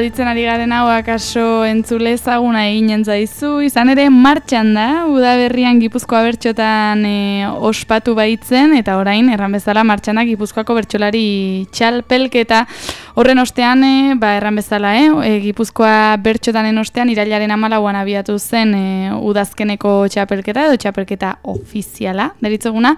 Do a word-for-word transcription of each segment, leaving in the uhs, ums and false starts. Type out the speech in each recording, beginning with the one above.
aditzen ari garen hau akaso entzule ezaguna eginen zaizu, izan ere martxan da, udaberrian Gipuzkoa bertxotan e, ospatu baitzen, eta orain, erran bezala, martxanak Gipuzkoako bertsolari txalpelketa, horren ostean, e, ba, erran bezala, e, e, Gipuzkoa bertxotanen ostean, irailaren hamalauan abiatu zen e, udazkeneko txapelketa, edo txapelketa ofiziala, deritzeguna,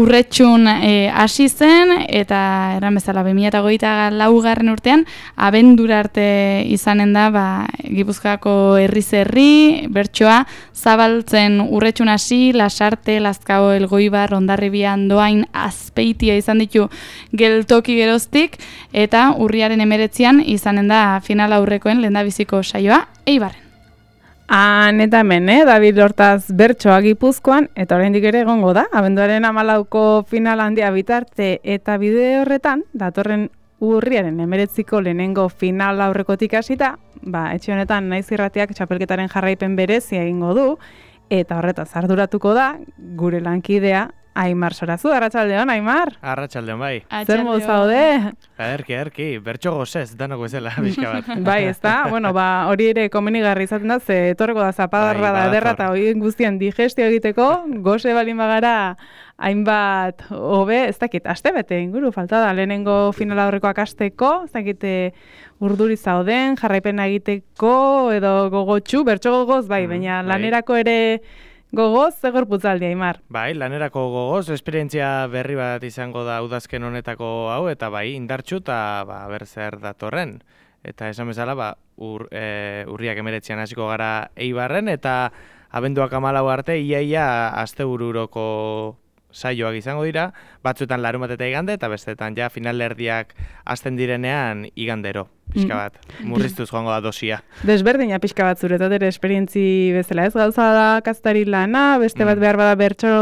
urretxun hasi zen, eta erran bezala, bi mila hogeita laugarren urtean, abendura arte izanen da, ba, Gipuzkoako herriz herri, bertsoa, zabaltzen urretxun hasi, Lasarte, Lazkao, Elgoibar, Hondarribia, Andoain, Azpeitia izan ditu geltoki geroztik, eta urriaren emeretzian izanen da final aurrekoen lehendabiziko saioa, Eibarren. Han eta hemen, eh? David Hortaz bertsoa Gipuzkoan, eta oraindik ere egongo da, abenduaren hamalauko final handia bitarte, eta bide horretan, datorren urriaren emeretziko lehenengo final aurrekotik hasita, ba, etxe honetan Naiz Irratiak txapelketaren jarraipen berezia egingo du, eta horretaz arduratuko da, gure lankidea, Aimar Sorazu. Arratsaldeon, Aimar. Arratsaldeon, bai. Zer modu zaude? Erki, erki, bertso gozez, danok bezala, bizka bat. Bai, ezta? Bueno, ba, hori ere komenigarri izaten da, ze etorreko da zapadarra da ederra, eta hori guztien digestio egiteko, goze balin bagara, hainbat hobe, ez dakit, aste bete inguru, falta da, lehenengo finala horrekoak asteko, ez dakit urduri zauden, jarraipena egiteko, edo gogotxu, bertso gogoz, bai, mm, baina bai. Lanerako ere gogoz, zegor putzaldi, Aimar. Bai, lanerako gogoz, esperientzia berri bat izango da udazken honetako hau, eta bai, indartxu, eta ba, ber datorren. Eta esan bezala, ba, ur, e, urriak emeretzian hasiko gara Eibarren, eta abenduak hamalau arte, iaia astebururoko saioak izango dira, batzuetan larun bat eta igande, eta bestetan ja finalerdiak hasten direnean igandero, pixka bat, murriztuz joango da dosia. Desberdina pixka bat zuretat ere esperientzi bezala, ez gauza da kaztari lana, beste bat behar bada bertso,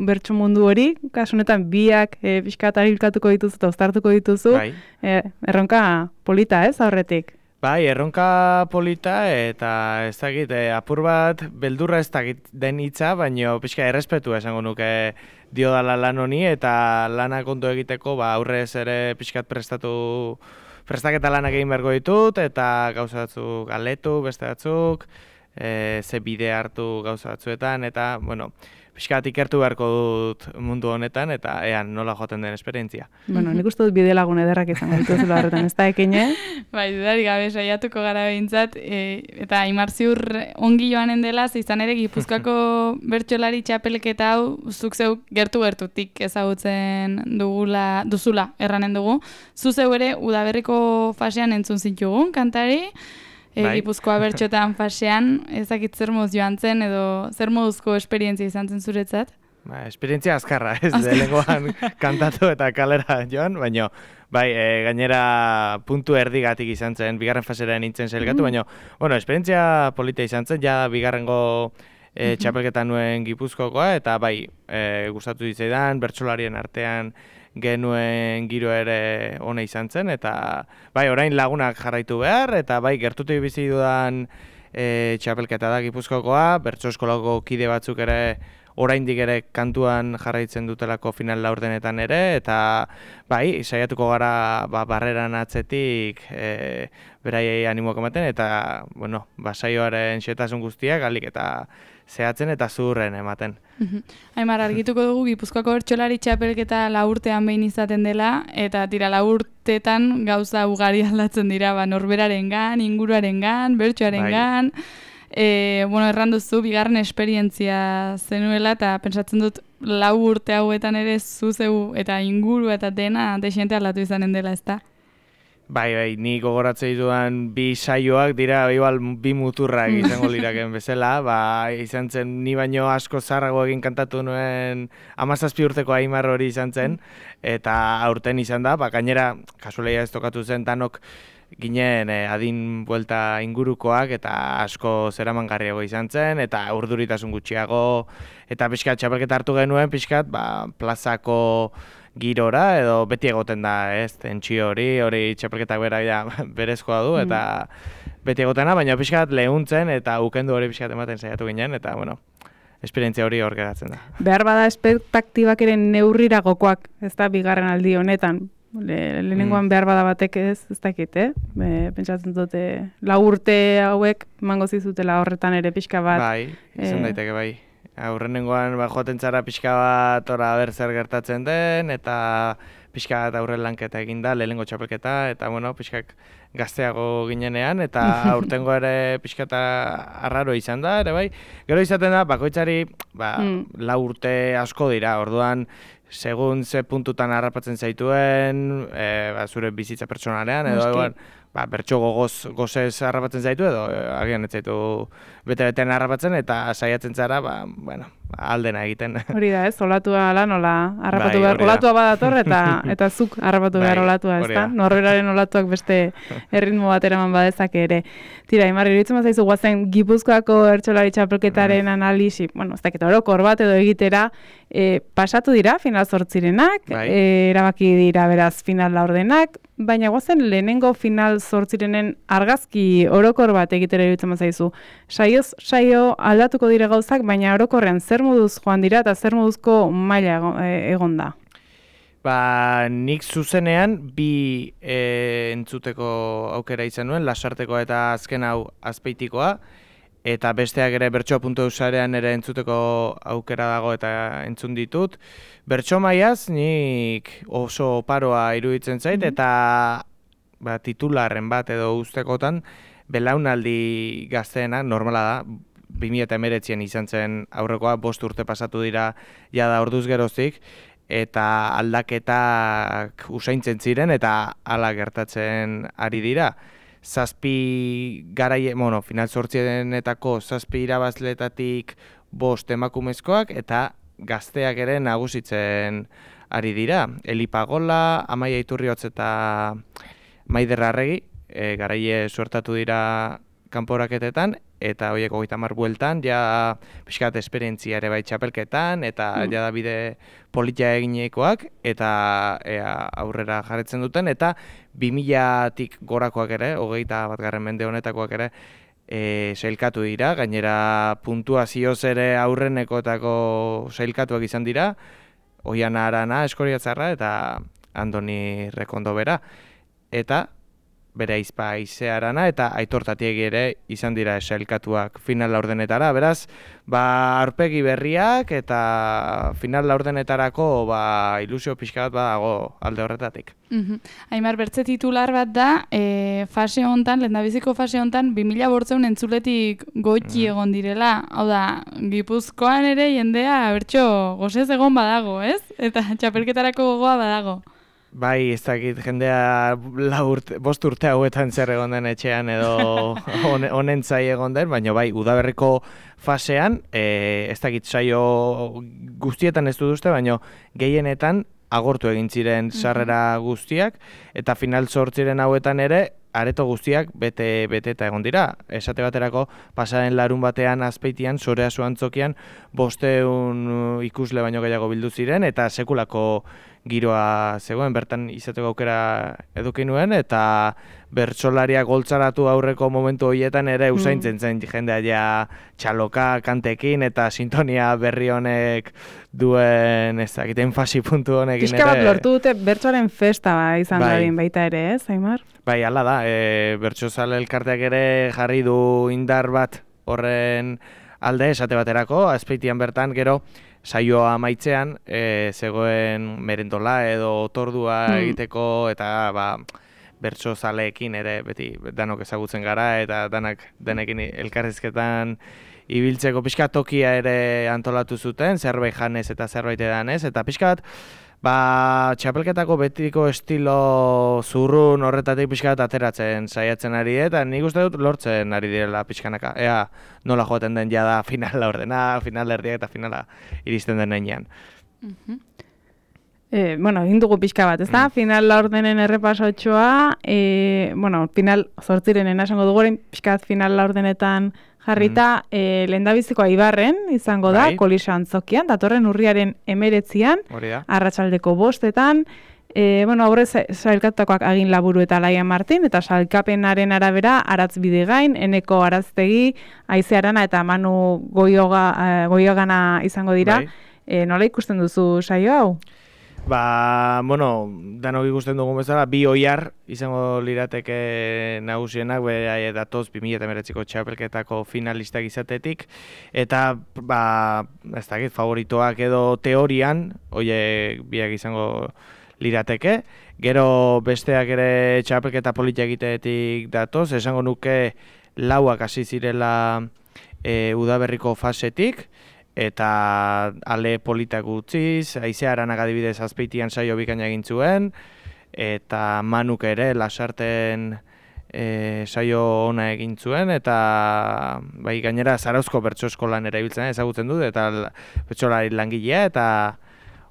bertso mundu hori, kasunetan biak e, pixka bat arilkatuko dituzu eta uztartuko dituzu, bai. e, erronka polita ez aurretik. Bai, erronka polita eta ez dakit, eh, apur bat beldurra ez dakit den hitza, baina pixka errespetua esango nuke diodala lan honi eta lana kontu egiteko ba, aurrez ere pixkat prestatu, prestaketa lanak egin beharko ditut eta gauza batzuk aletu, beste batzuk, eh, ze bide hartu gauza batzuetan eta, bueno, pixkat ikertu beharko dut mundu honetan, eta ean nola joaten den esperientzia. Bueno, nik uste dut bide lagun ederrak izango dituzula horretan, ez da ekine? Bai, dudarik gabe saiatuko gara behintzat, e, eta Aimar ziur ongi joanen dela, izan ere Gipuzkoako bertsolari txapelketa hau, zuk zeu gertu-gertutik ezagutzen dugula, duzula erranen dugu. Zu zeu ere udaberriko fasean entzun zitugun, kantari, E, bai. Gipuzkoa bertxotan fasean, ezakit zer moduz joan zen, edo zer moduzko esperientzia izan zen zuretzat? Ba, esperientzia azkarra, ez lehenengoan kantatu eta kalera joan, baina bai, e, gainera puntu erdigatik izan zen, bigarren fasera nintzen sailkatu, mm. baina, bueno, esperientzia polita izan zen, ja bigarrengo e, txapelketa nuen Gipuzkoakoa, eta bai, e, gustatu ditzaidan, bertsolarien artean, genuen giro ere ona izan zen, eta bai, orain lagunak jarraitu behar, eta bai, gertutik bizi dudan e, txapelketa da Gipuzkoakoa, bertso eskolako kide batzuk ere oraindik ere kantuan jarraitzen dutelako final laurdenetan ere, eta bai, saiatuko gara ba, barreran atzetik e, beraiei animoak ematen, eta bueno, ba, saioaren xetasun guztiak galik eta zehatzen eta zurren ematen. Aimar, argituko dugu Gipuzkoako bertsolari txapelketa laurtean behin izaten dela, eta tira laurtetan gauza ugari aldatzen dira, ba, norberarengan, inguruarengan, bertsoarengan. Bai. E, bueno, erranduzu, bigarren esperientzia zenuela, eta pentsatzen dut lau urte hauetan ere zuzeu eta inguru eta dena desente aldatu izanen dela, ezta? Bai, bai, ni gogoratzen ditudan bi saioak dira igual bi muturrak izango liraken bezala, ba, izan zen ni baino asko zarrago egin kantatu nuen hamazazpi urteko Aimar hori izan zen, eta aurten izan da, ba, gainera kasualia ez tokatu zen danok ginen eh, adin buelta ingurukoak eta asko zeramangarriago izan zen, eta urduritasun gutxiago, eta pixkat txapelketa hartu genuen, pixkat ba, plazako girora, edo beti egoten da, ez, tentsio hori, hori txapelketak bera ja, berezkoa du, eta mm. beti egotena, baina pixkat lehuntzen, eta ukendu hori pixkat ematen saiatu ginen, eta, bueno, esperientzia hori hor geratzen da. Behar bada espektaktibak ere neurriragokoak, ez da, bigarren aldi honetan, Le, lehenengoan behar bada batek ez, ez dakit, eh? Be, pentsatzen dute, lau urte hauek mango zizutela horretan ere pixka bat. Bai, izan daiteke bai. Aurrenengoan ba, joaten zara pixka bat ora ber zer gertatzen den, eta pixka bat aurren lanketa egin da, lehenengo txapelketa, eta bueno, pixkak gazteago ginenean, eta aurtengo ere pixka eta arraro izan da, ere bai. Gero izaten da, bakoitzari ba, mm. lau urte asko dira, orduan, segun ze puntutan harrapatzen zaituen, e, ba, zure bizitza pertsonalean, edo egon, ba, bertso gogoz, gozez harrapatzen zaitu, edo e, agian ez zaitu bete-betean harrapatzen, eta saiatzen zara, ba, bueno, aldena egiten. Hori da, ez? Olatua ala nola harrapatu bai, behar, olatua badator, eta eta zuk harrapatu bai, behar olatua, ez da? Norberaren olatuak beste erritmo bat eraman badezake ere. Tira, Imar, iruditzen bazaizu guazen Gipuzkoako bertsolari txapelketaren mm. analisi, bueno, ez dakit orokor bat edo egitera, e, pasatu dira, final zortzirenak, bai. e, erabaki dira beraz final laurdenak, baina guazen lehenengo final zortzirenen argazki orokor bat egitera iruditzen bazaizu. Saioz, saio aldatuko dire gauzak, baina orokorrean zer moduz joan dira eta zer moduzko maila egon da? Ba, nik zuzenean bi e, entzuteko aukera izan nuen, lasartekoa eta azken hau azpeitikoa, eta besteak ere bertsoa puntu eusarean ere entzuteko aukera dago eta entzun ditut. Bertso maiaz nik oso oparoa iruditzen zait, eta ba, titularren bat edo ustekotan belaunaldi gazteena, normala da, bi mila hemeretzian izan zen aurrekoa, bost urte pasatu dira jada orduz geroztik, eta aldaketak usaintzen ziren eta hala gertatzen ari dira. Zazpi garaie, bueno, final zortzienetako zazpi irabazletatik bost emakumezkoak eta gazteak ere nagusitzen ari dira. Eli Pagola, Amaia Iturriotz eta Maider Arregi, e, garaie suertatu dira kanporaketetan, eta horiek hogeita hamar bueltan, ja pixkat esperientzia ere bai txapelketan, eta mm. ja da bide politia eginekoak, eta ea, aurrera jarretzen duten, eta bi milatik gorakoak ere, hogeita bat garren mende honetakoak ere, e, sailkatu dira, gainera puntuazioz ere aurrenekoetako sailkatuak izan dira, Oiana Arana, Eskoriatzarra, eta Andoni Rekondo bera, eta bere aizpa Aize Arana eta Aitor Tatiegi ere izan dira sailkatuak final laurdenetara. Beraz, ba, aurpegi berriak eta final laurdenetarako ba, ilusio pixka bat badago alde horretatik. Mm-hmm. Aimar, bertze titular bat da, e, fase hontan, lehendabiziko fase hontan, bi mila bortzeun entzuletik goiti mm. egon direla. Hau da, Gipuzkoan ere jendea bertso gozez egon badago, ez? Eta txapelketarako gogoa badago. Bai, ez dakit jendea urte, bost urte hauetan zer egon den etxean edo honen zai egon den, baina bai, udaberriko fasean, e, ez dakit saio guztietan ez dut uste, baina gehienetan agortu egin ziren sarrera guztiak, eta final zortziren hauetan ere, areto guztiak bete beteta egon dira. Esate baterako, pasaren larun batean azpeitian, Sorea Zuantzokian, bosteun ikusle baino gehiago bildu ziren, eta sekulako giroa zegoen, bertan izateko aukera eduki nuen, eta bertsolariak goltzaratu aurreko momentu horietan ere usaintzen zen jendea ja txaloka kantekin, eta sintonia berri honek duen, ez dakit, enfasi puntu honekin ere. Pixka bat lortu dute bertsoaren festa ba, izan bai. Dadin baita ere, ez, Aimar? Bai, hala da, e, bertsozale elkarteak ere jarri du indar bat horren alde, esate baterako, Azpeitian bertan, gero, saioa amaitzean, e, zegoen merendola edo otordua mm. egiteko, eta ba, bertsozaleekin ere beti danok ezagutzen gara, eta danak denekin elkarrizketan ibiltzeko pixka tokia ere antolatu zuten, zerbait janez eta zerbait edanez, eta pixka bat, ba, txapelketako betiko estilo zurrun horretatik pixka bat ateratzen saiatzen ari, eta nik uste dut lortzen ari direla pixkanaka. Ea, nola joaten den jada final laurdena, final erdiak eta finala iristen den nenean. Uh-huh. Eh, bueno, egin dugu pixka bat, ez da? Mm. Final laurdenen errepasotxoa, eh, bueno, final zortzirenen esango dugu, pixka bat final laurdenetan jarrita, mm. eh, lehendabizikoa Ibarren izango da, bai. Kolisa Antzokian, datorren urriaren emeretzian, arratsaldeko bostetan, eh, bueno, aurrez sailkatutakoak Agin Laburu eta Laia Martin, eta sailkapenaren arabera Aratz Bidegain, Eneko Araztegi, Aize Arana eta Manu Goioga, eh, Goiogana izango dira. Bai. Eh, nola ikusten duzu saio hau? Ba, bueno, danok ikusten dugun bezala, bi oiar izango lirateke nagusienak, bera datoz bi mila hemeretziko txapelketako finalistak izatetik, eta, ba, ez dakit, favoritoak edo teorian, oie biak izango lirateke, gero besteak ere txapelketa politia egitetik datoz, esango nuke lauak hasi zirela e, udaberriko fasetik, eta ale politak utziz, Aizea Aranak adibidez Azpeitian saio bikaina egin zuen, eta Manuk ere Lasarten e, saio ona egin zuen, eta bai gainera Zarauzko bertso eskolan ere ibiltzen ezagutzen dut, eta bertsolari langilea, eta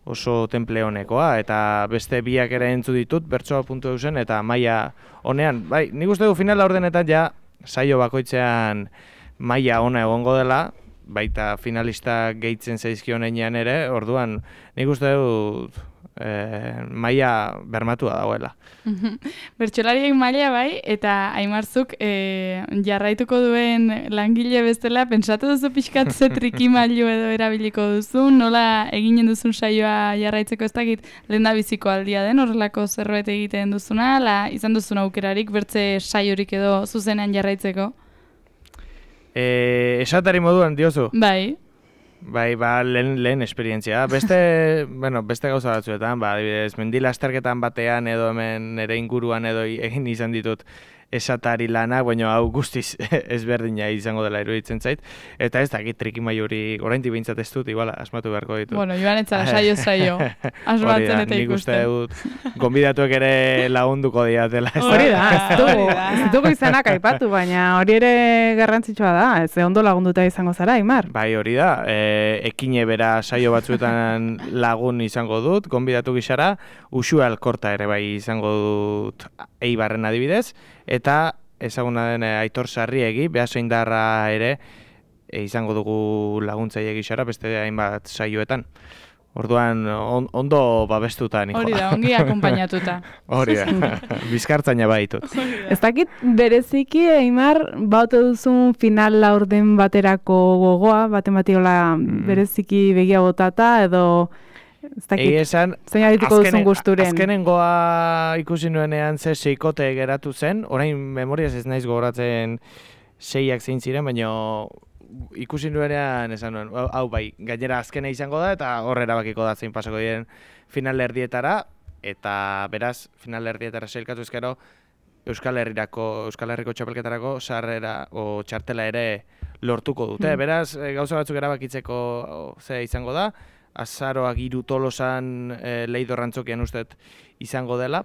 oso temple honekoa, eta beste biak ere entzu ditut, bertsoa puntu eusen, eta maila honean, bai, nik uste du finala ordenetan ja saio bakoitzean maila ona egongo dela, baita finalista gehitzen zaizkion einean ere, orduan nik uste dut e, maila bermatua dagoela. Bertsolariek maila bai, eta Aimarzuk e, jarraituko duen langile bestela, pentsatu duzu pixkat ze trikimailu edo erabiliko duzu, nola eginen duzun saioa jarraitzeko ez dakit lehendabiziko aldia den, horrelako zerbait egiten duzuna, la, izan duzun aukerarik bertze saiorik edo zuzenean jarraitzeko? E, esatari moduan diozu? Bai. Bai, ba, lehen, lehen esperientzia. Beste, bueno, beste gauza batzuetan, ba, adibidez, mendilasterketan batean edo hemen ere inguruan edo egin izan ditut esatari lanak, baina hau guztiz ezberdina izango dela iruditzen zait. Eta ez dakit trikimailurik oraindik behintzat ez dut, igual, asmatu beharko ditut. Bueno, joan etzara saio saio, asmatzen eta ikusten. Nik uste dut, gonbidatuek ere lagunduko diatela. Hori da, ez dugu izanak aipatu, baina hori ere garrantzitsua da, ez ondo lagunduta izango zara, Aimar. Bai, hori da, e, ekine bera saio batzuetan lagun izango dut, gonbidatu gizara, Uxue Alkorta ere bai izango dut Eibarren adibidez, eta ezaguna den Aitor Sarriegi, Beasaindarra ere e, izango dugu laguntzaile gizara beste hainbat saioetan. Orduan on, ondo babestuta nikoa. Hori da, ongi akompainatuta. Hori da, bizkartzaina baitut. Ez dakit bereziki, Aimar, baute duzun final laurden baterako gogoa, baten batiola mm. bereziki begia botata, edo ez dakit, esan, zein adituko duzun gusturen. Azkenengoa ikusi nuenean ze seikote geratu zen, orain memoriaz ez naiz gogoratzen seiak zein ziren, baina ikusi nuenean esan nuen, hau bai, gainera azkena izango da, eta horre erabakiko da zein pasako diren final erdietara, eta beraz, final erdietara sailkatu ezkero, Euskal Herrirako, Euskal Herriko txapelketarako sarrera o txartela ere lortuko dute. Mm. Beraz, gauza batzuk erabakitzeko ze izango da, azaroak hiru Tolosan e, Leidor Antzokian ustet izango dela,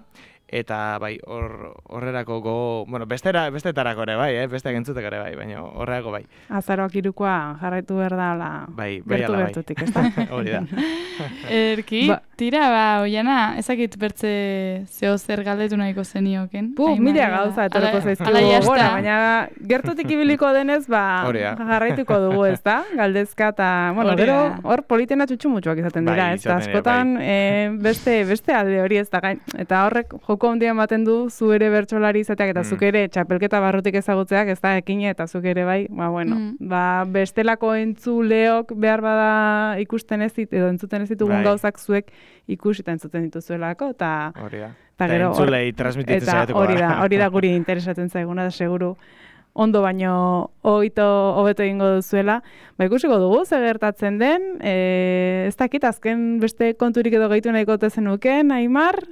eta bai, hor, horrerako go, bueno, bestera, bestetarako ere bai, eh? Besteak entzuteko ere bai, baina horrerako bai. Azaroak hirukoa jarraitu behar da, la, bai, bai, gertu ala, bertutik, ez da? Hori da. Erki, ba, tira, ba, Oiana, ezakit bertze zeo zer galdetu nahiko zenioken. Bu, mila gauza etoreko zaizkigu, bueno, baina gertutik ibiliko denez, ba, jarraituko dugu, ez da? Galdezka, eta, bueno, gero, hor politena txutxumutxuak izaten dira, bai, ez da? Askotan, bai. e, beste, beste alde hori ez da, eta horrek joko handia ematen du zu ere bertsolari izateak eta mm. zuk ere txapelketa barrutik ezagutzeak, ez da, ekine eta zuk ere bai, ba, bueno, mm. ba, bestelako entzuleok behar bada ikusten ez dit, edo entzuten ez ditugun bai. Gauzak zuek ikusi eta entzuten dituzuelako, eta hori da. Eta entzulei transmititzen zaiatuko hori da, hori da guri interesatzen zaiguna, da seguru ondo baino hogeito hobeto egingo duzuela. Ba, ikusiko dugu, ze gertatzen den, e, ez dakit, azken beste konturik edo gehitu nahiko zenuken, Aimar?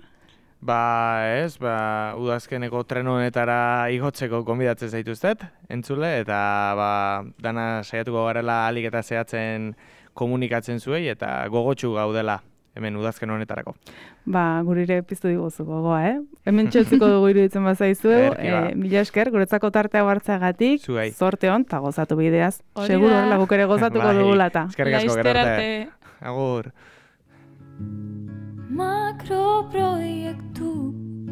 Ba, ez, ba, udazkeneko tren honetara igotzeko gonbidatzen zaituztet, entzule, eta ba, dana saiatuko garela alik eta zehatzen komunikatzen zuei, eta gogotsu gaudela hemen udazken honetarako. Ba, gurire piztu diguzu gogoa, eh? Hemen txotziko dugu iruditzen bazaizuegu, e, mila esker, guretzako tartea hartzeagatik, zorte hon, eta gozatu bideaz. Seguro horrela guk ere gozatuko bai, dugulata. Eskerrik asko, gero arte. Agur. Makroproiektu